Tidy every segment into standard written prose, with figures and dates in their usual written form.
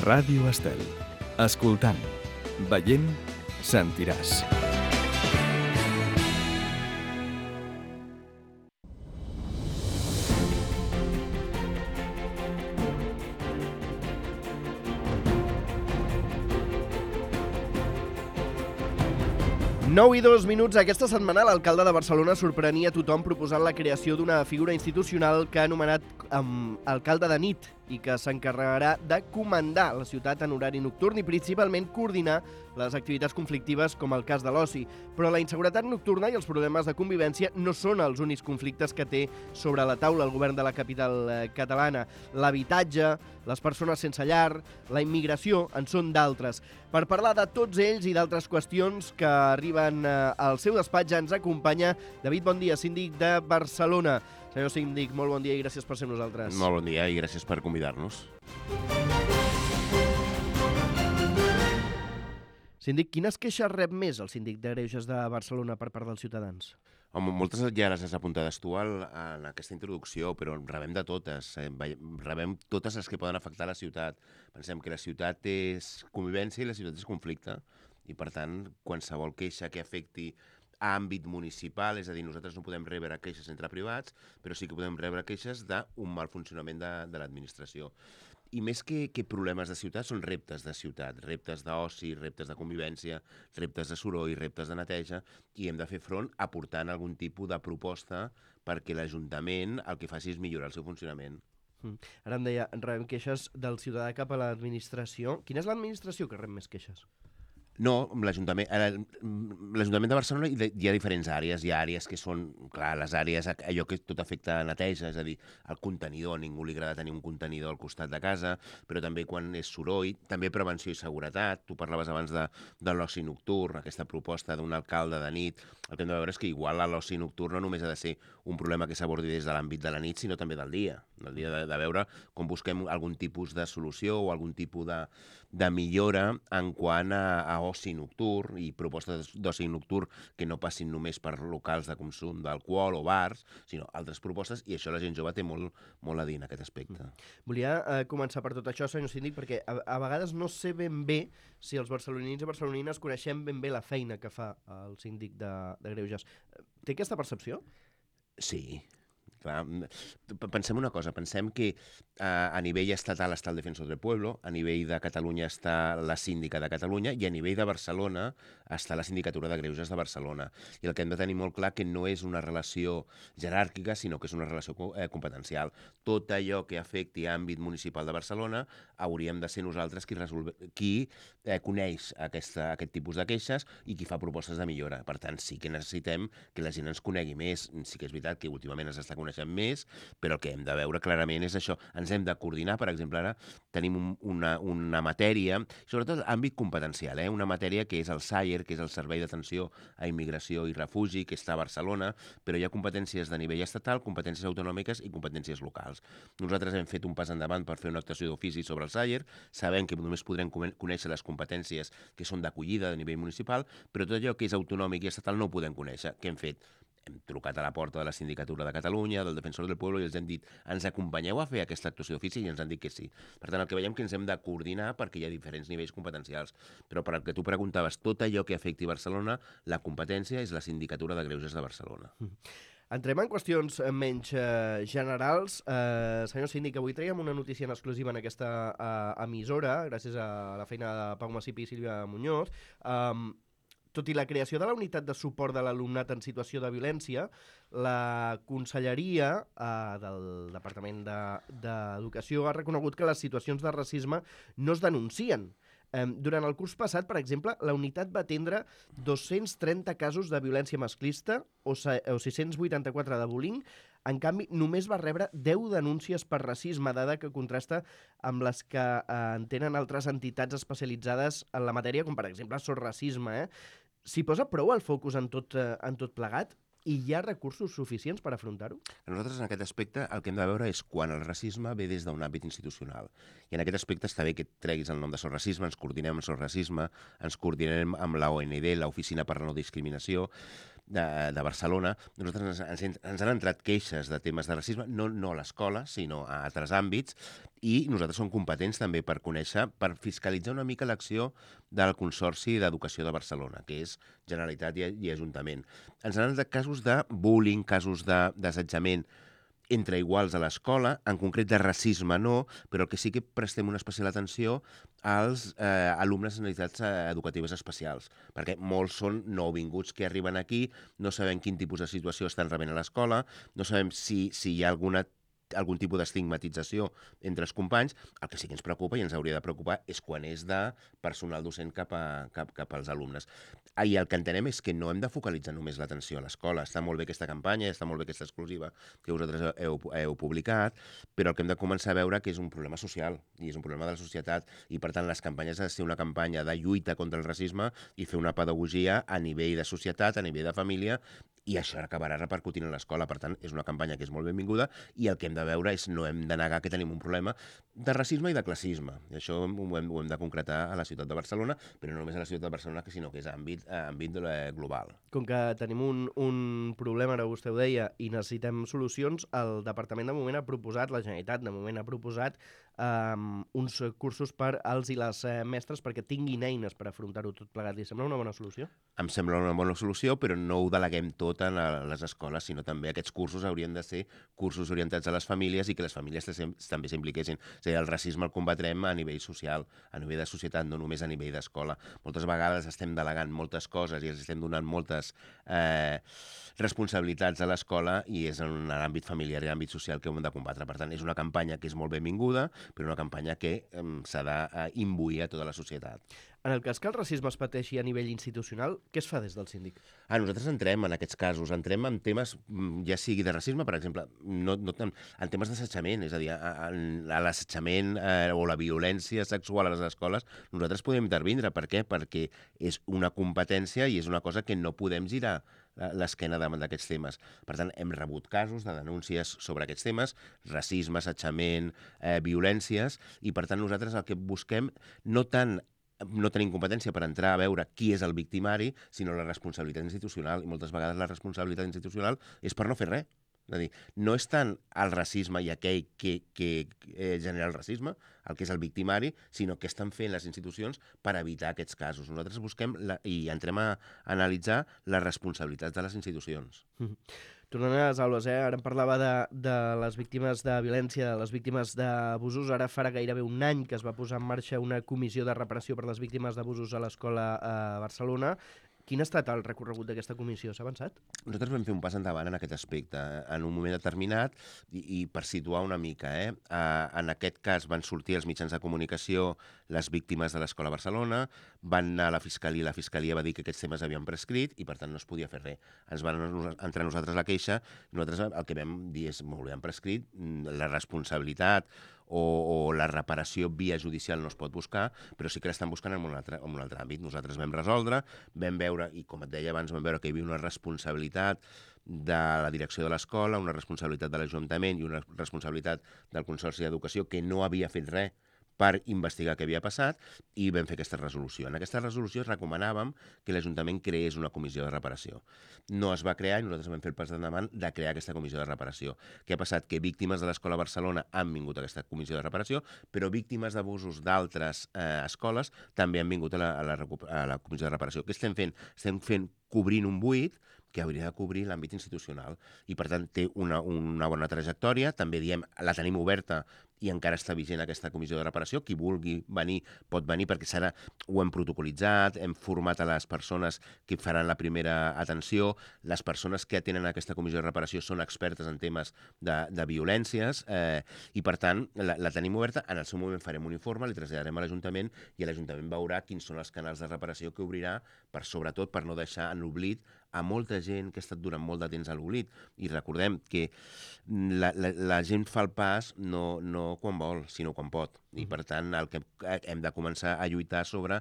Ràdio Estel. Escoltant, veient, sentiràs. Nou i 2 minuts. Aquesta setmana l'alcalde de Barcelona sorprenia a tothom proposant la creació d'una figura institucional que ha anomenat alcalde de nit i que s'encarregarà de comandar la ciutat en horari nocturn i principalment coordinar les activitats conflictives com el cas de l'oci. Però la inseguretat nocturna i els problemes de convivència no són els únics conflictes que té sobre la taula el govern de la capital catalana. L'habitatge, les persones sense llar, la immigració en són d'altres. Per parlar de tots ells i d'altres qüestions que arriben al seu despatx ens acompanya David Bondia, síndic de Barcelona. Senyor síndic, molt bon dia i gràcies per ser amb nosaltres. Molt bon dia i gràcies per convidar-nos. Síndic, quines queixes rep més el síndic de Greuges de Barcelona per part dels ciutadans? Home, moltes ja les has apuntades tu en aquesta introducció, però rebem de totes. Rebem totes les que poden afectar la ciutat. Pensem que la ciutat és convivència i la ciutat és conflicte. I, per tant, qualsevol queixa que afecti a àmbit municipal, és a dir, nosaltres no podem rebre queixes entre privats, però sí que podem rebre queixes d'un mal funcionament de l'administració. I més que problemes de ciutat, són reptes de ciutat, reptes d'oci, reptes de convivència, reptes de soroll, reptes de neteja, i hem de fer front aportant algun tipus de proposta perquè l'Ajuntament el que faci és millorar el seu funcionament. Ara em deia, rebem queixes del ciutadà cap a l'administració. Quina és l'administració que rep més queixes? No, l'Ajuntament de Barcelona hi ha diferents àrees. Hi ha àrees que són, clar, les àrees, allò que tot afecta a neteja, és a dir, el contenidor, a ningú li agrada tenir un contenidor al costat de casa, però també quan és soroll, també prevenció i seguretat. Tu parlaves abans de l'oci nocturn, aquesta proposta d'un alcalde de nit. El que hem de veure és que igual l'oci nocturn no només ha de ser un problema que s'abordi des de l'àmbit de la nit, sinó també del dia. Del dia de veure com busquem algun tipus de solució o algun tipus de millora en quant a oci nocturn i propostes d'oci nocturn que no passin només per locals de consum d'alcohol o bars, sinó altres propostes, i això la gent jove té molt a dir en aquest aspecte. Volia començar per tot això, senyor síndic, perquè a vegades no sé ben bé si els barcelonins i barcelonines coneixem ben bé la feina que fa el síndic de Greuges. Té aquesta percepció? Sí. Clar, pensem una cosa, pensem que a nivell estatal està el Defensor del Pueblo, a nivell de Catalunya està la Síndica de Catalunya i a nivell de Barcelona està la Sindicatura de Greuges de Barcelona. I el que hem de tenir molt clar que no és una relació jeràrquica, sinó que és una relació competencial. Tot allò que afecti àmbit municipal de Barcelona hauríem de ser nosaltres qui coneix aquest tipus de queixes i qui fa propostes de millora. Per tant, sí que necessitem que la gent ens conegui més. Sí que és veritat que últimament ens està coneixent més, però el que hem de veure clarament és això. Ens hem de coordinar. Per exemple, ara tenim una matèria, sobretot àmbit competencial, una matèria que és el SAIR, que és el Servei d'Atenció a Immigració i Refugi, que està a Barcelona, però hi ha competències de nivell estatal, competències autonòmiques i competències locals. Nosaltres hem fet un pas endavant per fer una actuació d'ofici sobre el SAIR, sabem que només podrem conèixer les competències que són d'acollida de nivell municipal, però tot allò que és autonòmic i estatal no ho podem conèixer. Què hem fet? Hem trucat a la porta de la Sindicatura de Catalunya, del Defensor del Pueblo, i els hem dit, ens acompanyeu a fer aquesta actuació d'ofici? I ens han dit que sí. Per tant, el que veiem que ens hem de coordinar perquè hi ha diferents nivells competencials. Però per al que tu preguntaves, tot allò que afecti Barcelona, la competència és la Sindicatura de Greuges de Barcelona. Entrem en qüestions menys generals. Senyor síndic, avui traiem una notícia en exclusiva en aquesta emissora, gràcies a la feina de Pau Massip i Sílvia Muñoz. Tot i la creació de la unitat de suport de l'alumnat en situació de violència, la Conselleria del Departament d'Educació ha reconegut que les situacions de racisme no es denuncien. Durant el curs passat, per exemple, la unitat va atendre 230 casos de violència masclista o 684 de bullying. En canvi, només va rebre 10 denúncies per racisme, dada que contrasta amb les que en tenen altres entitats especialitzades en la matèria, com per exemple Sorracisme. S'hi posa prou el focus en tot plegat? I hi ha recursos suficients per afrontar-ho? Nosaltres, en aquest aspecte, el que hem de veure és quan el racisme ve des d'un àmbit institucional. I en aquest aspecte està bé que treguis el nom de Sorracisme, ens coordinem amb Sorracisme, ens coordinem amb la OND, l'Oficina per la No Discriminació, de Barcelona, nosaltres ens han entrat queixes de temes de racisme, no a l'escola, sinó a altres àmbits, i nosaltres som competents també per conèixer, per fiscalitzar una mica l'acció del Consorci d'Educació de Barcelona, que és Generalitat i Ajuntament. Ens han entrat casos de bullying, casos d'assetjament entre iguals a l'escola, en concret de racisme no, però el que sí que prestem una especial atenció als alumnes amb necessitats educatives especials, perquè molts són nouvinguts que arriben aquí, no sabem quin tipus de situació estan rebent a l'escola, no sabem si hi ha algun tipus d'estigmatització entre els companys. El que sí que ens preocupa i ens hauria de preocupar és quan és de personal docent cap als alumnes. I el que entenem és que no hem de focalitzar només l'atenció a l'escola. Està molt bé aquesta campanya, està molt bé aquesta exclusiva que vosaltres heu publicat, però el que hem de començar a veure que és un problema social i és un problema de la societat i, per tant, les campanyes han de ser una campanya de lluita contra el racisme i fer una pedagogia a nivell de societat, a nivell de família, i això acabarà repercutint a l'escola. Per tant, és una campanya que és molt benvinguda i el que hem de veure és no hem de negar que tenim un problema de racisme i de classisme. I això ho hem de concretar a la ciutat de Barcelona, però no només a la ciutat de Barcelona, sinó que és àmbit global. Com que tenim un problema, ara vostè ho deia, i necessitem solucions, el Departament de moment ha proposat, la Generalitat de moment ha proposat uns cursos per als i les mestres perquè tinguin eines per afrontar-ho tot plegat. Li sembla una bona solució? Em sembla una bona solució, però no ho deleguem tot a les escoles, sinó també aquests cursos haurien de ser cursos orientats a les famílies i que les famílies també s'impliquessin. És a dir, el racisme el combatrem a nivell social, a nivell de societat, no només a nivell d'escola. Moltes vegades estem delegant moltes coses i els estem donant moltes responsabilitats a l'escola i és en l'àmbit familiar i l'àmbit social que ho hem de combatre. Per tant, és una campanya que és molt benvinguda, però una campanya que s'ha d'imbuir a tota la societat. En el cas que el racisme es pateixi a nivell institucional, què es fa des del síndic? Nosaltres entrem en aquests casos, entrem en temes, ja sigui de racisme, per exemple, en temes d'assetjament, és a dir, a l'assetjament o la violència sexual a les escoles, nosaltres podem intervindre. Per què? Perquè és una competència i és una cosa que no podem girar l'esquena davant d'aquests temes. Per tant, hem rebut casos de denúncies sobre aquests temes, racisme, assetjament, violències, i per tant nosaltres el que busquem no tenim competència per entrar a veure qui és el victimari, sinó la responsabilitat institucional, i moltes vegades la responsabilitat institucional és per no fer res. És a dir, no és tant el racisme i aquell que genera el racisme, el que és el victimari, sinó que estan fent les institucions per evitar aquests casos. Nosaltres busquem i entrem a analitzar les responsabilitats de les institucions. Tornant a les aules, ara em parlava de les víctimes de violència, de les víctimes d'abusos. Ara farà gairebé un any que es va posar en marxa una comissió de reparació per a les víctimes d'abusos a l'escola a Barcelona. Quin ha estat el recorregut d'aquesta comissió? S'ha avançat? Nosaltres vam fer un pas endavant en aquest aspecte, en un moment determinat, i per situar una mica. En aquest cas van sortir els mitjans de comunicació les víctimes de l'Escola Barcelona, van anar a la Fiscalia va dir que aquests temes havien prescrit i per tant no es podia fer res. Ens van entrar nosaltres la queixa, i nosaltres el que vam dir és molt bé, han prescrit, la responsabilitat o la reparació via judicial no es pot buscar, però sí que l'estan buscant en un altre àmbit. Nosaltres vam resoldre, vam veure, i com et deia abans, vam veure que hi havia una responsabilitat de la direcció de l'escola, una responsabilitat de l'Ajuntament i una responsabilitat del Consorci d'Educació que no havia fet res per investigar què havia passat, i vam fer aquesta resolució. En aquesta resolució recomanàvem que l'Ajuntament creés una comissió de reparació. No es va crear i nosaltres vam fer el pas endavant de crear aquesta comissió de reparació. Què ha passat? Que víctimes de l'Escola Barcelona han vingut a aquesta comissió de reparació, però víctimes d'abusos d'altres escoles també han vingut a la comissió de reparació. Què estem fent? Estem cobrint un buit que hauria de cobrir l'àmbit institucional i, per tant, té una bona trajectòria. També diem, la tenim oberta i encara està vigent aquesta comissió de reparació. Qui vulgui venir pot venir perquè ho hem protocolitzat, hem format a les persones que faran la primera atenció. Les persones que atenen aquesta comissió de reparació són expertes en temes de violències i, per tant, la tenim oberta. En el seu moment farem un informe, li traslladarem a l'Ajuntament i l'Ajuntament veurà quins són els canals de reparació que obrirà, sobretot per no deixar en l'oblit a molta gent que ha estat durant molt de temps a l'oblit. I recordem que la gent fa el pas no quan vol, sinó quan pot. I, per tant, el que hem de començar a lluitar sobre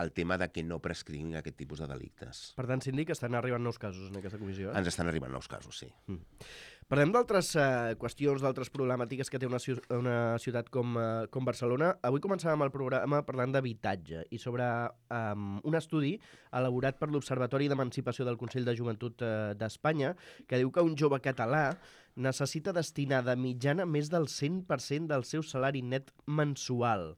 el tema de que no prescriguin aquest tipus de delictes. Per tant, síndic, estan arribant nous casos en aquesta comissió. Ens estan arribant nous casos, sí. Parlem d'altres qüestions, d'altres problemàtiques que té una ciutat com Barcelona. Avui començàvem el programa parlant d'habitatge i sobre un estudi elaborat per l'Observatori d'Emancipació del Consell de Joventut d'Espanya que diu que un jove català necessita destinar de mitjana més del 100% del seu salari net mensual.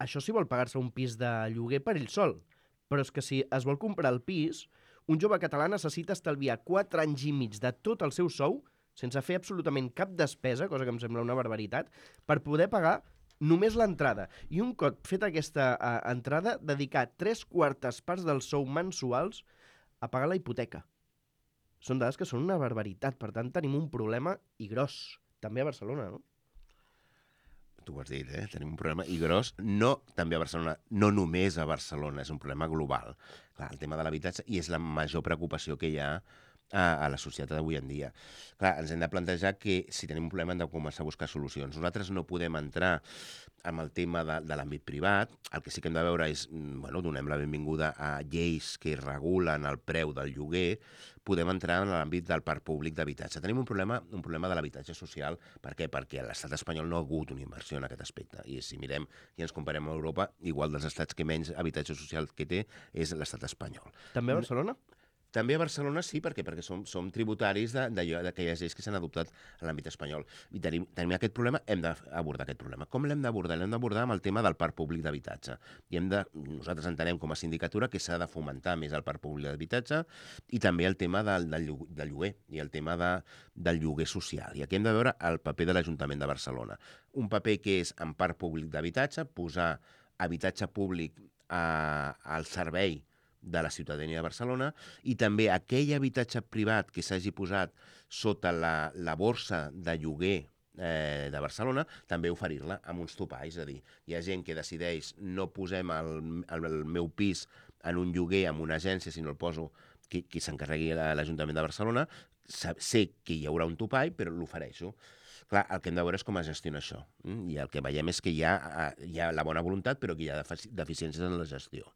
Això si vol pagar-se un pis de lloguer per ell sol, però és que si es vol comprar el pis, un jove català necessita estalviar 4 anys i mig de tot el seu sou, sense fer absolutament cap despesa, cosa que em sembla una barbaritat, per poder pagar només l'entrada. I un cop feta aquesta entrada, dedicar 3/4 parts dels sou mensuals a pagar la hipoteca. Són dades que són una barbaritat, per tant tenim un problema i gros, també a Barcelona, no? Tu ho has dit, tenim un problema i gros, no també a Barcelona, no només a Barcelona, és un problema global. Clar, el tema de l'habitatge, i és la major preocupació que hi ha a la societat d'avui en dia. Clar, ens hem de plantejar que si tenim un problema hem de començar a buscar solucions. Nosaltres no podem entrar amb el tema de l'àmbit privat, el que sí que hem de veure és, donem la benvinguda a lleis que regulen el preu del lloguer, podem entrar en l'àmbit del parc públic d'habitatge. Tenim un problema de l'habitatge social. Per què? Perquè l'estat espanyol no ha hagut una inversió en aquest aspecte. I si mirem i ens comparem amb Europa, igual dels estats que menys habitatge social que té és l'estat espanyol. També a Barcelona? També a Barcelona sí, perquè som tributaris d'aquelles lleis que s'han adoptat en l'àmbit espanyol. I tenim aquest problema, hem d'abordar aquest problema. Com l'hem d'abordar? L'hem d'abordar amb el tema del parc públic d'habitatge. Nosaltres entenem com a sindicatura que s'ha de fomentar més el parc públic d'habitatge i també el tema del lloguer i el tema del lloguer social. I aquí hem de veure el paper de l'Ajuntament de Barcelona. Un paper que és en parc públic d'habitatge, posar habitatge públic al servei de la ciutadania de Barcelona i també aquell habitatge privat que s'hagi posat sota la borsa de lloguer de Barcelona, també oferir-la amb uns topalls. És a dir, hi ha gent que decideix no posem el meu pis en un lloguer amb una agència, sinó el poso qui s'encarregui l'Ajuntament de Barcelona, sé que hi haurà un topall, però l'ofereixo. Clar, el que hem de veure és com es gestiona això. I el que veiem és que hi ha la bona voluntat, però que hi ha deficiències en la gestió.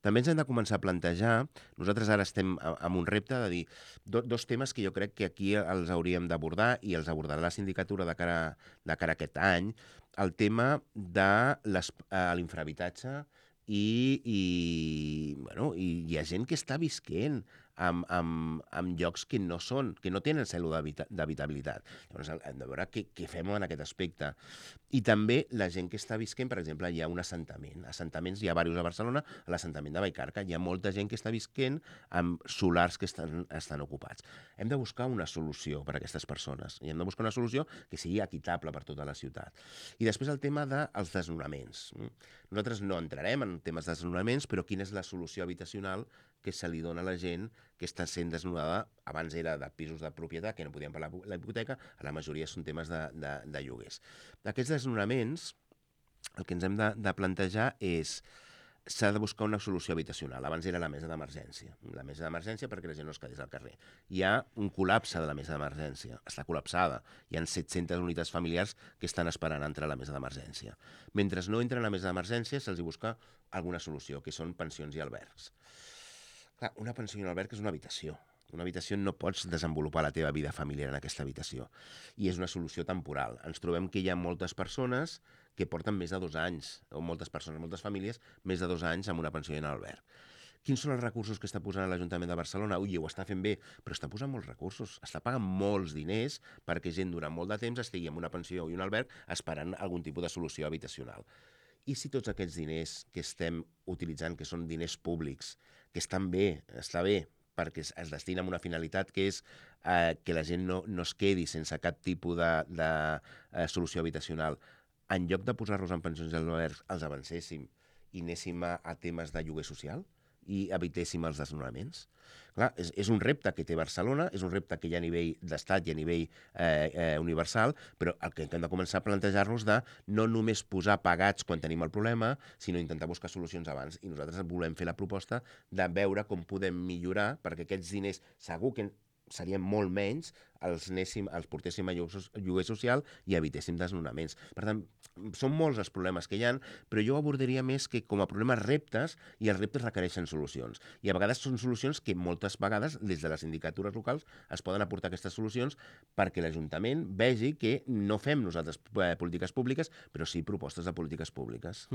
També ens hem de començar a plantejar, nosaltres ara estem amb un repte de dir dos temes que jo crec que aquí els hauríem d'abordar i els abordarà la sindicatura de cara a aquest any, el tema de l'infrahabitatge i hi ha gent que està visquent en llocs que no tenen cèl·lula d'habitabilitat. Llavors hem de veure què fem en aquest aspecte. I també la gent que està visquent, per exemple, hi ha un assentament. Assentaments hi ha diversos a Barcelona, a l'assentament de Vallcarca. Hi ha molta gent que està visquent amb solars que estan ocupats. Hem de buscar una solució per a aquestes persones. I hem de buscar una solució que sigui equitable per tota la ciutat. I després el tema dels desnonaments. Nosaltres no entrarem en temes de desnonaments, però quina és la solució habitacional que se li dona a la gent que està sent desnonada. Abans era de pisos de propietat, que no podien pagar la hipoteca, a la majoria són temes de lloguers. Aquests desnonaments, el que ens hem de plantejar és s'ha de buscar una solució habitacional. Abans era la mesa d'emergència. La mesa d'emergència perquè la gent no es quedés al carrer. Hi ha un col·lapse de la mesa d'emergència. Està col·lapsada. Hi ha 700 unitats familiars que estan esperant entrar a la mesa d'emergència. Mentre no entren a la mesa d'emergència, se'ls busca alguna solució, que són pensions i albergs. Clar, una pensió i un alberg és una habitació. Una habitació no pots desenvolupar la teva vida familiar en aquesta habitació. I és una solució temporal. Ens trobem que hi ha moltes persones que porten més de 2 anys, o moltes famílies, més de 2 anys amb una pensió i un alberg. Quins són els recursos que està posant l'Ajuntament de Barcelona? Ui, ho està fent bé, però està posant molts recursos. Està pagant molts diners perquè gent durant molt de temps estigui amb una pensió i un alberg esperant algun tipus de solució habitacional. I si tots aquests diners que estem utilitzant, que són diners públics, que estan bé, està bé, perquè es destina a una finalitat que és que la gent no es quedi sense cap tipus de solució habitacional, en lloc de posar-los en pensions i albergs, els avancéssim i anéssim a temes de lloguer social i evitéssim els desnonaments. Clar, és un repte que té Barcelona, és un repte que hi ha a nivell d'estat i a nivell universal, però el que hem de començar a plantejar-nos de no només posar pagats quan tenim el problema, sinó intentar buscar solucions abans. I nosaltres volem fer la proposta de veure com podem millorar, perquè aquests diners segur que serien molt menys els portéssim a lloguer social i evitéssim desnonaments. Per tant, són molts els problemes que hi ha, però jo abordaria més que com a problemes reptes, i els reptes requereixen solucions. I a vegades són solucions que moltes vegades des de les sindicatures locals es poden aportar aquestes solucions perquè l'Ajuntament vegi que no fem nosaltres polítiques públiques, però sí propostes de polítiques públiques.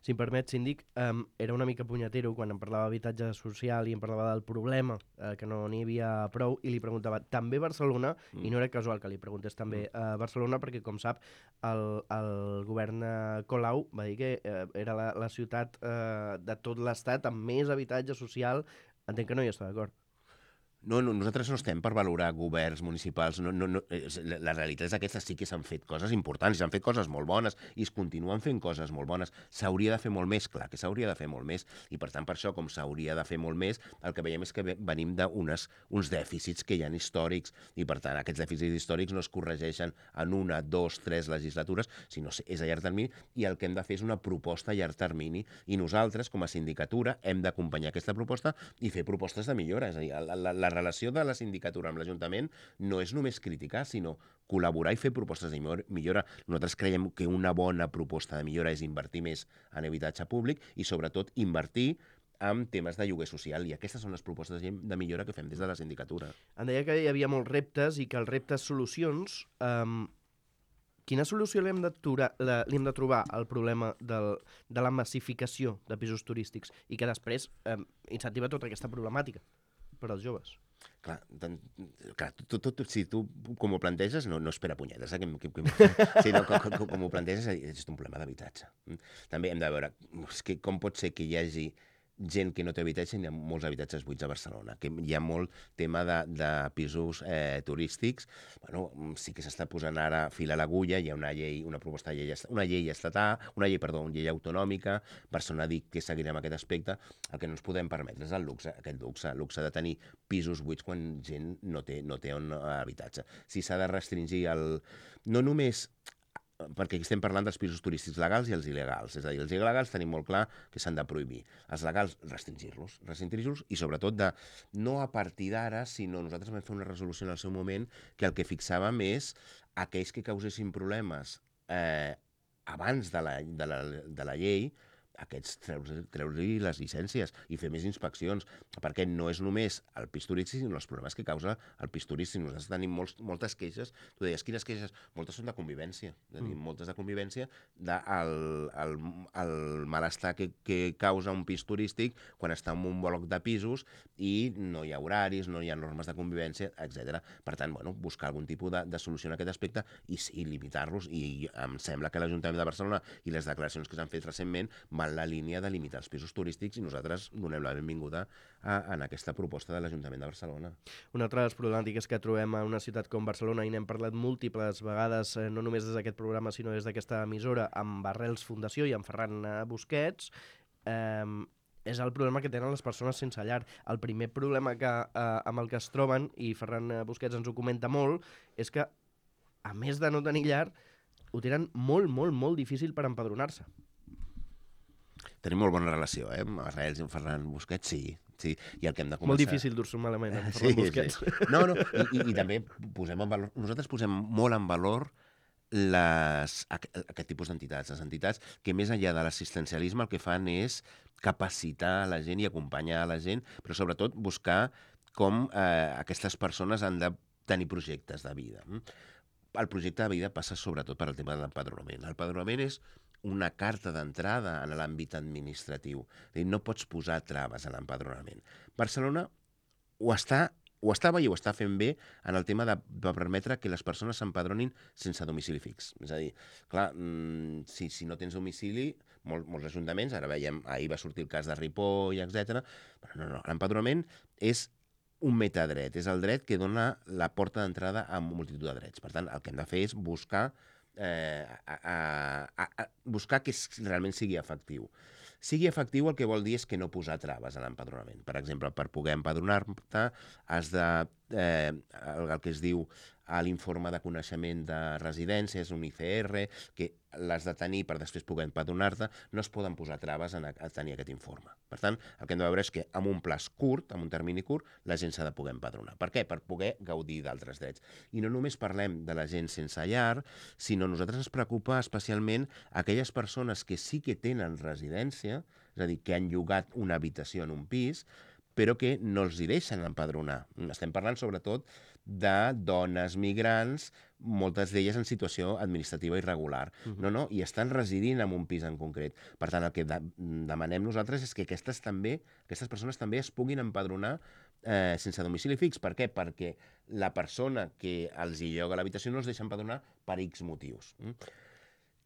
Si em permet, síndic, era una mica punyetero quan em parlava d'habitatge social i em parlava del problema, que no n'hi havia prou, i li preguntava, també Barcelona, i no era casual que li preguntés també Barcelona, perquè, com sap, el govern Colau va dir que era la ciutat de tot l'estat amb més habitatge social. Entenc que no hi està d'acord. No, nosaltres no estem per valorar governs municipals. La realitat és aquesta, sí que s'han fet coses importants, s'han fet coses molt bones i es continuen fent coses molt bones. S'hauria de fer molt més, clar que s'hauria de fer molt més, i per tant per això, com s'hauria de fer molt més, el que veiem és que venim d'uns dèficits que hi ha històrics, i per tant aquests dèficits històrics no es corregeixen en 1, 2, 3 legislatures, sinó és a llarg termini, i el que hem de fer és una proposta a llarg termini, i nosaltres, com a sindicatura, hem d'acompanyar aquesta proposta i fer propostes de millora. És a dir, la relació de la sindicatura amb l'Ajuntament no és només criticar, sinó col·laborar i fer propostes de millora. Nosaltres creiem que una bona proposta de millora és invertir més en habitatge públic i, sobretot, invertir en temes de lloguer social, i aquestes són les propostes de millora que fem des de la sindicatura. Em deia que hi havia molts reptes i que els reptes solucions... Quina solució li hem de trobar al problema de la massificació de pisos turístics i que després incentiva tota aquesta problemàtica per als joves? Clar, si tu com ho planteges, no és per a punyetes, com ho planteges és un problema d'habitatge. També hem de veure com pot ser que hi hagi gent que no té habitatge, hi ha molts habitatges buits a Barcelona, que hi ha molt tema de pisos turístics. Bueno, sí que s'està posant ara fil a l'agulla, hi ha una llei autonòmica. Barcelona ha dit que seguirà amb aquest aspecte. El que no ens podem permetre és el luxe de tenir pisos buits quan gent no té on habitatge. Si s'ha de restringir no només perquè estem parlant dels pisos turístics legals i els il·legals. És a dir, els il·legals tenim molt clar que s'han de prohibir. Els legals, restringir-los i, sobretot, no a partir d'ara, sinó nosaltres vam fer una resolució en el seu moment que el que fixàvem és aquells que causessin problemes abans de la llei, aquests treure-li les llicències i fer més inspeccions, perquè no és només el pis turístic, sinó els problemes que causa el pis turístic. Nosaltres tenim moltes queixes. Tu deies, quines queixes? Moltes són de convivència. Moltes de convivència del malestar que causa un pis turístic quan està en un bloc de pisos i no hi ha horaris, no hi ha normes de convivència, etc. Per tant, buscar algun tipus de solució en aquest aspecte i limitar-los. I em sembla que l'Ajuntament de Barcelona i les declaracions que s'han fet recentment van la línia de limitar els pisos turístics, i nosaltres donem la benvinguda en aquesta proposta de l'Ajuntament de Barcelona. Una altra de les problemàtiques que trobem en una ciutat com Barcelona, i n'hem parlat múltiples vegades, no només des d'aquest programa, sinó des d'aquesta emissora, amb Arrels Fundació i amb Ferran Busquets, és el problema que tenen les persones sense llar. El primer problema amb el que es troben, i Ferran Busquets ens ho comenta molt, és que, a més de no tenir llar, ho tenen molt, molt, molt difícil per empadronar-se. Tenim molt bona relació, amb Arrels i amb Ferran Busquets, sí. I el que hem de començar... Molt difícil dur-se malament amb Ferran Busquets. Sí. No, i també posem en valor... Nosaltres posem molt en valor aquest tipus d'entitats, les entitats que més enllà de l'assistencialisme el que fan és capacitar la gent i acompanyar la gent, però sobretot buscar com aquestes persones han de tenir projectes de vida. El projecte de vida passa sobretot per el tema de l'empadronament. L'empadronament és una carta d'entrada en l'àmbit administratiu. No pots posar traves a l'empadronament. Barcelona ho estava i ho està fent bé en el tema de permetre que les persones s'empadronin sense domicili fix. És a dir, clar, si no tens domicili, molts ajuntaments, ara veiem, ahir va sortir el cas de Ripoll, etc. No, l'empadronament és un metadret, és el dret que dona la porta d'entrada a multitud de drets. Per tant, el que hem de fer és buscar que realment sigui efectiu. Sigui efectiu el que vol dir és que no posar traves a l'empadronament. Per exemple, per poder empadronar-te has de, el que es diu a l'informe de coneixement de residències, un ICR, que l'has de tenir per després poder empadronar-te, no es poden posar traves a tenir aquest informe. Per tant, el que hem de veure és que amb un plaç curt, amb un termini curt, la gent s'ha de poder empadronar. Per què? Per poder gaudir d'altres drets. I no només parlem de la gent sense llar, sinó a nosaltres ens preocupa especialment aquelles persones que sí que tenen residència, és a dir, que han llogat una habitació en un pis, però que no els hi deixen empadronar. Estem parlant sobretot de dones migrants, moltes d'elles en situació administrativa irregular. No, i estan residint en un pis en concret. Per tant, el que demanem nosaltres és que aquestes persones també es puguin empadronar sense domicili fix. Per què? Perquè la persona que els hi lloga l'habitació no els deixa empadronar per X motius.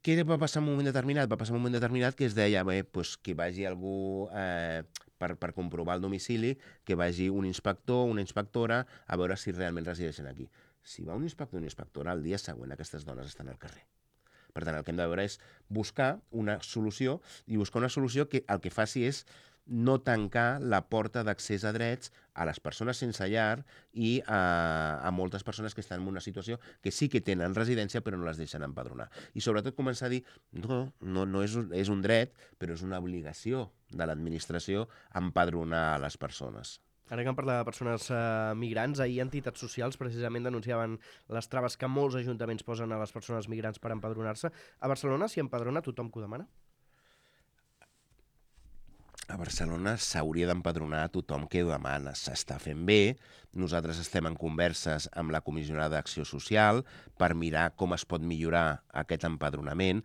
Què va passar en un moment determinat? Va passar en un moment determinat que es deia que vagi algú per comprovar el domicili, que vagi un inspector, una inspectora, a veure si realment resideixen aquí. Si va un inspector o una inspectora, el dia següent aquestes dones estan al carrer. Per tant, el que hem de veure és buscar una solució, i buscar una solució que el que faci és no tancar la porta d'accés a drets a les persones sense llar i a moltes persones que estan en una situació que sí que tenen residència però no les deixen empadronar. I sobretot començar a dir, no és un dret, però és una obligació de l'administració empadronar a les persones. Ara que em parla de persones migrants, ahir entitats socials precisament denunciaven les traves que molts ajuntaments posen a les persones migrants per empadronar-se. A Barcelona s'hi empadrona tothom que ho demana? A Barcelona s'hauria d'empadronar a tothom que ho demana. S'està fent bé. Nosaltres estem en converses amb la Comissionada d'Acció Social per mirar com es pot millorar aquest empadronament.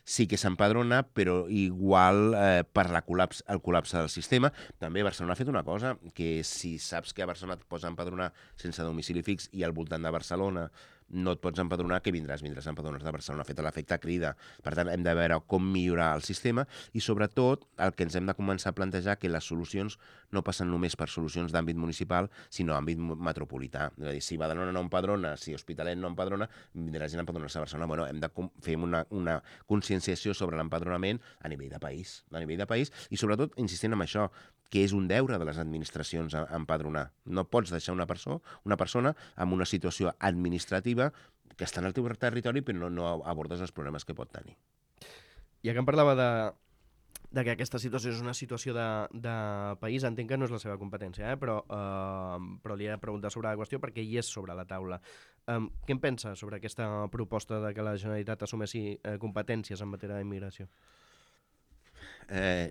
Sí que s'empadrona, però igual per el col·lapse del sistema. També Barcelona ha fet una cosa, que si saps que a Barcelona et pots empadronar sense domicili fix i al voltant de Barcelona no et pots empadronar, que vindràs a empadronar de Barcelona, ha fet l'efecte crida. Per tant, hem de veure com millorar el sistema i, sobretot, el que ens hem de començar a plantejar que les solucions no passen només per solucions d'àmbit municipal, sinó àmbit metropolità. És a dir, si Badalona no empadrona, si Hospitalet no empadrona, vindrà gent a empadronar-se a Barcelona. Bueno, hem de fer una conscienciació sobre l'empadronament a nivell de país. I, sobretot, insistint en això, que és un deure de les administracions empadronar. No pots deixar una persona en una situació administrativa que està en el teu territori però no abordes els problemes que pot tenir. Ja que em parlava de que aquesta situació és una situació de país, entenc que no és la seva competència, però li he de preguntar sobre la qüestió perquè hi és sobre la taula. Què en pensa sobre aquesta proposta de que la Generalitat assumeixi competències en matèria d'immigració?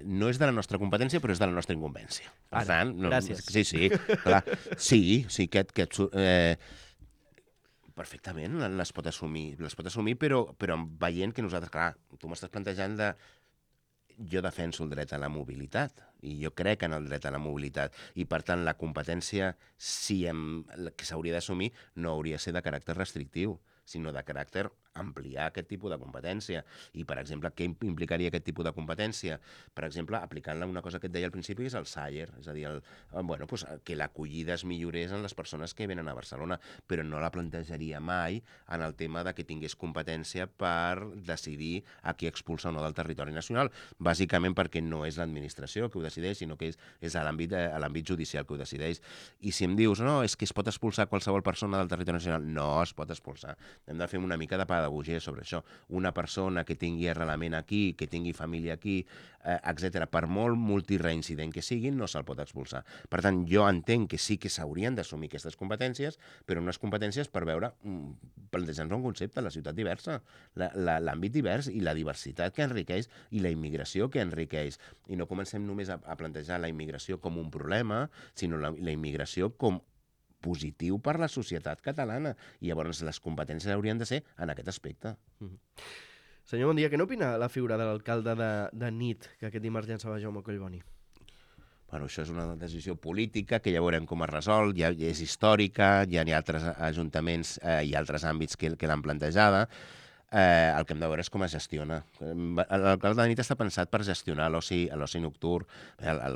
No és de la nostra competència, però és de la nostra incumbència. Per tant, gràcies. Sí, clar. Sí, perfectament les pot assumir, però veient que nosaltres, clar, tu m'estàs plantejant jo defenso el dret a la mobilitat i jo crec en el dret a la mobilitat i, per tant, la competència que s'hauria d'assumir no hauria de ser de caràcter restrictiu, sinó de caràcter ampliar aquest tipus de competència. I, per exemple, què implicaria aquest tipus de competència? Per exemple, aplicant-la una cosa que et deia al principi, que és el SAIER, és a dir, que l'acollida es millorés en les persones que venen a Barcelona, però no la plantejaria mai en el tema de que tingués competència per decidir a qui expulsa o no del territori nacional, bàsicament perquè no és l'administració que ho decideix, sinó que és a l'àmbit judicial que ho decideix. I si em dius, no, és que es pot expulsar qualsevol persona del territori nacional, no es pot expulsar. Hem de fer una mica de pedagogia sobre això. Una persona que tingui arrelament aquí, que tingui família aquí, etc., per molt multireincident que siguin, no se'l pot expulsar. Per tant, jo entenc que sí que s'haurien d'assumir aquestes competències, però unes competències per veure, plantejar-nos un concepte, la ciutat diversa, l'àmbit divers i la diversitat que enriqueix i la immigració que enriqueix. I no comencem només a plantejar la immigració com un problema, sinó la immigració com positiu per la societat catalana. I llavors les competències haurien de ser en aquest aspecte. Senyor Bondia, què n'opina la figura de l'alcalde de nit que aquest dimarts llançava Jaume Collboni? Bueno, això és una decisió política que ja veurem com es resol, ja és històrica, ja hi ha altres ajuntaments i altres àmbits que l'han plantejada. El que hem de veure és com es gestiona. L'alcalde de nit està pensat per gestionar l'oci nocturn.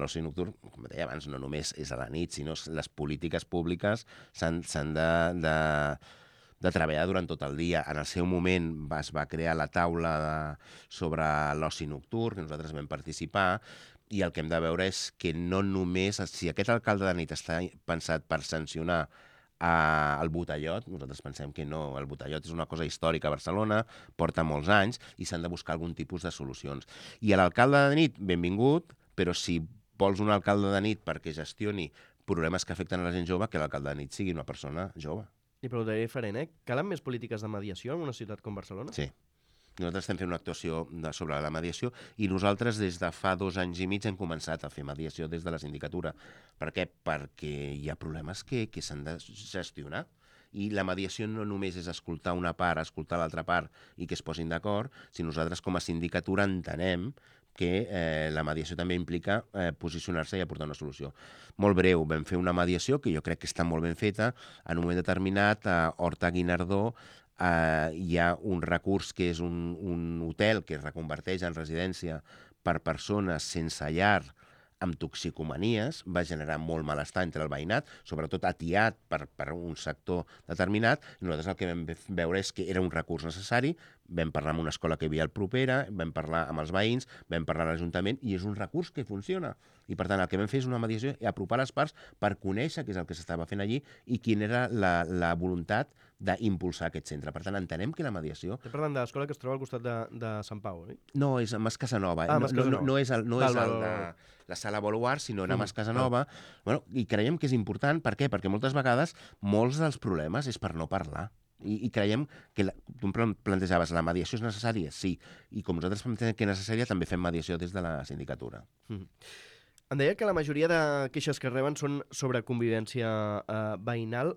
L'oci nocturn, com deia abans, no només és a la nit, sinó les polítiques públiques s'han de treballar durant tot el dia. En el seu moment es va crear la taula sobre l'oci nocturn, que nosaltres vam participar, i el que hem de veure és que no només, si aquest alcalde de nit està pensat per sancionar al Botellot. Nosaltres pensem que no, el Botellot és una cosa històrica a Barcelona, porta molts anys i s'han de buscar algun tipus de solucions. I a l'alcalde de nit, benvingut, però si vols un alcalde de nit perquè gestioni problemes que afecten a la gent jove, que l'alcalde de nit sigui una persona jove. I preguntaré diferent, Calen més polítiques de mediació en una ciutat com Barcelona? Sí. Nosaltres estem fent una actuació sobre la mediació i nosaltres des de fa 2 anys i mig hem començat a fer mediació des de la sindicatura. Per què? Perquè hi ha problemes que s'han de gestionar. I la mediació no només és escoltar una part, escoltar l'altra part i que es posin d'acord, si nosaltres com a sindicatura entenem que la mediació també implica posicionar-se i aportar una solució. Molt breu, vam fer una mediació que jo crec que està molt ben feta. En un moment determinat, a Horta Guinardó, hi ha un recurs que és un hotel que es reconverteix en residència per persones sense llar amb toxicomanies, va generar molt malestar entre el veïnat, sobretot atiat per un sector determinat, i nosaltres el que vam veure és que era un recurs necessari, vam parlar amb una escola que hi havia al propera, vam parlar amb els veïns, vam parlar amb l'Ajuntament, i és un recurs que funciona. I per tant el que vam fer és una mediació i apropar les parts per conèixer què és el que s'estava fent allí i quina era la voluntat d'impulsar aquest centre. Per tant, entenem que la mediació... Estem parlant de l'escola que es troba al costat de Sant Pau, oi? No, és a Mas Casanova. No és el de la sala Boluar, sinó a Mas Casanova. Bueno, i creiem que és important. Per què? Perquè moltes vegades molts dels problemes és per no parlar. I creiem que, tu em plantejaves, la mediació és necessària? Sí. I com nosaltres pensem que és necessària, també fem mediació des de la sindicatura. Em deia que la majoria de queixes que reben són sobre convivència veïnal.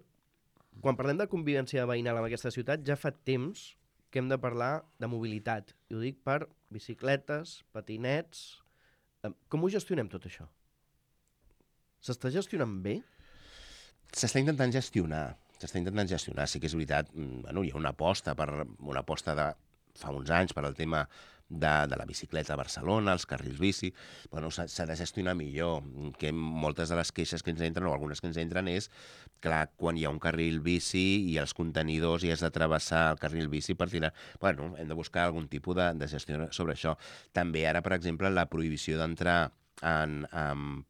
Quan parlem de convivència veïnal en aquesta ciutat, ja fa temps que hem de parlar de mobilitat. I ho dic per bicicletes, patinets... Com ho gestionem tot això? S'està gestionant bé? S'està intentant gestionar. Sí que és veritat, hi ha una aposta de fa uns anys per al tema de la bicicleta a Barcelona, els carrils bici. Bueno, s'ha de gestionar millor, que moltes de les queixes que ens entren, o algunes que ens entren, és, clar, quan hi ha un carril bici i els contenidors i has de travessar el carril bici per tirar... Bueno, hem de buscar algun tipus de gestió sobre això. També ara, per exemple, la prohibició d'entrar amb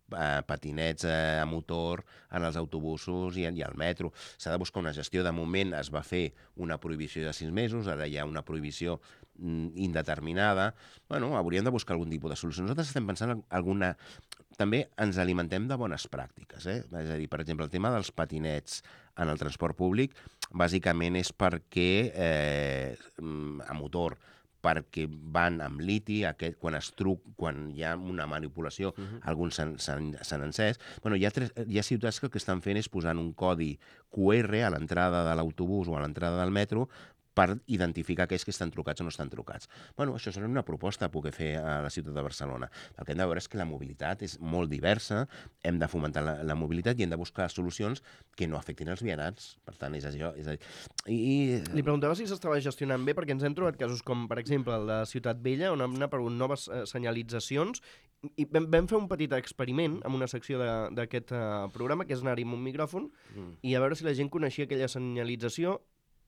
patinets a motor en els autobusos i al metro. S'ha de buscar una gestió. De moment es va fer una prohibició de 6 mesos, ara hi ha una prohibició indeterminada. Bueno, hauríem de buscar algun tipus de solució. Nosaltres estem pensant en alguna... També ens alimentem de bones pràctiques, És a dir, per exemple, el tema dels patinets en el transport públic bàsicament és perquè a motor, perquè van amb liti, quan hi ha una manipulació, alguns s'han encès. Bueno, hi ha ciutats que el que estan fent és posant un codi QR a l'entrada de l'autobús o a l'entrada del metro per identificar aquells que estan trucats o no estan trucats. Bueno, això seria una proposta a poder fer a la ciutat de Barcelona. El que hem de veure és que la mobilitat és molt diversa, hem de fomentar la mobilitat i hem de buscar solucions que no afectin els vianants. Per tant, és això. Li preguntava si s'estava gestionant bé, perquè ens hem trobat casos com, per exemple, el de Ciutat Vella, on hem aparegut noves senyalitzacions, i vam fer un petit experiment amb una secció d'aquest programa, que és anar-hi amb un micròfon, i a veure si la gent coneixia aquella senyalització,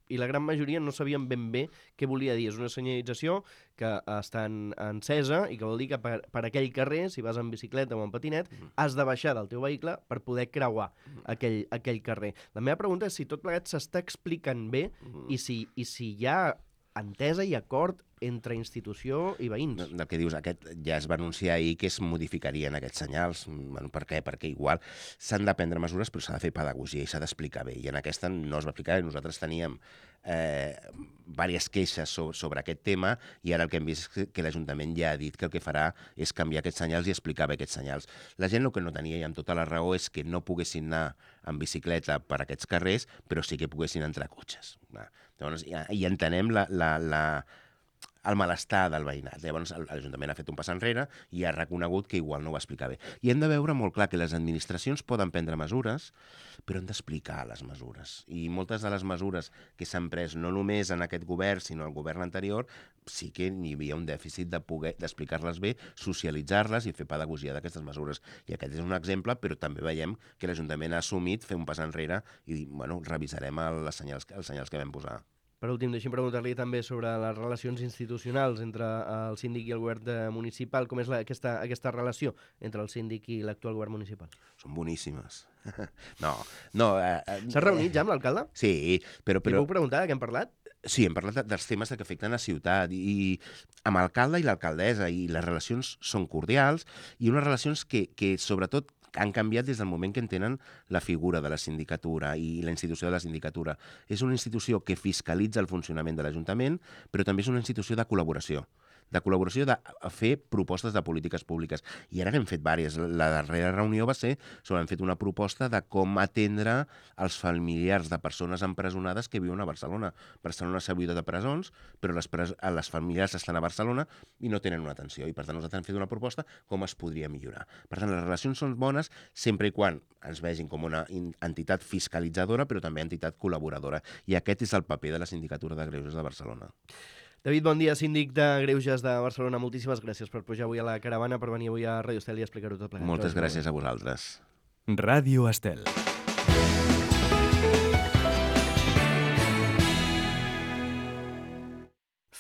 i la gran majoria no sabien ben bé què volia dir. És una senyalització que està encesa i que vol dir que per aquell carrer, si vas en bicicleta o en patinet, has de baixar del teu vehicle per poder creuar aquell carrer. La meva pregunta és si tot plegat s'està explicant bé i si hi ha entesa i acord entre institució i veïns. El que dius, aquest ja es va anunciar ahir que es modificarien aquests senyals. Bueno, per què? Perquè igual s'han de prendre mesures, però s'ha de fer pedagogia i s'ha d'explicar bé. I en aquesta no es va explicar bé. Nosaltres teníem diverses queixes sobre aquest tema i ara el que hem vist és que l'Ajuntament ja ha dit que el que farà és canviar aquests senyals i explicar bé aquests senyals. La gent el que no tenia, i amb tota la raó, és que no poguessin anar en bicicleta per aquests carrers, però sí que poguessin entrar cotxes. Llavors, i entenem el malestar del veïnat. Llavors, l'Ajuntament ha fet un pas enrere i ha reconegut que igual no ho va explicar bé. I hem de veure molt clar que les administracions poden prendre mesures, però han d'explicar les mesures. I moltes de les mesures que s'han pres, no només en aquest govern, sinó en el govern anterior, sí que hi havia un dèficit d'explicar-les bé, socialitzar-les i fer pedagogia d'aquestes mesures. I aquest és un exemple, però també veiem que l'Ajuntament ha assumit fer un pas enrere i dir, bueno, revisarem els senyals que vam posar. Per últim, deixi'm preguntar-li també sobre les relacions institucionals entre el síndic i el govern municipal. Com és aquesta relació entre el síndic i l'actual govern municipal? Són boníssimes. No. S'ha reunit ja amb l'alcalde? Sí, però... Li puc preguntar de què hem parlat? Sí, hem parlat dels temes que afecten la ciutat i amb l'alcalde i l'alcaldessa, i les relacions són cordials i unes relacions que sobretot han canviat des del moment que entenen la figura de la sindicatura i la institució de la sindicatura. És una institució que fiscalitza el funcionament de l'Ajuntament, però també és una institució de col·laboració de fer propostes de polítiques públiques. I ara n'hem fet diverses. La darrera reunió va ser sobre hem fet una proposta de com atendre els familiars de persones empresonades que viuen a Barcelona. Barcelona s'ha buidat de presons, però les familiars estan a Barcelona i no tenen una atenció. I per tant nosaltres hem fet una proposta com es podria millorar. Per tant, les relacions són bones sempre i quan ens vegin com una entitat fiscalitzadora, però també entitat col·laboradora. I aquest és el paper de la Sindicatura de Greuges de Barcelona. David, bon dia, síndic de Greuges de Barcelona. Moltíssimes gràcies per pujar avui a la caravana, per venir avui a Ràdio Estel i explicar-ho tot plegat. Moltes gràcies a vosaltres. Ràdio Estel.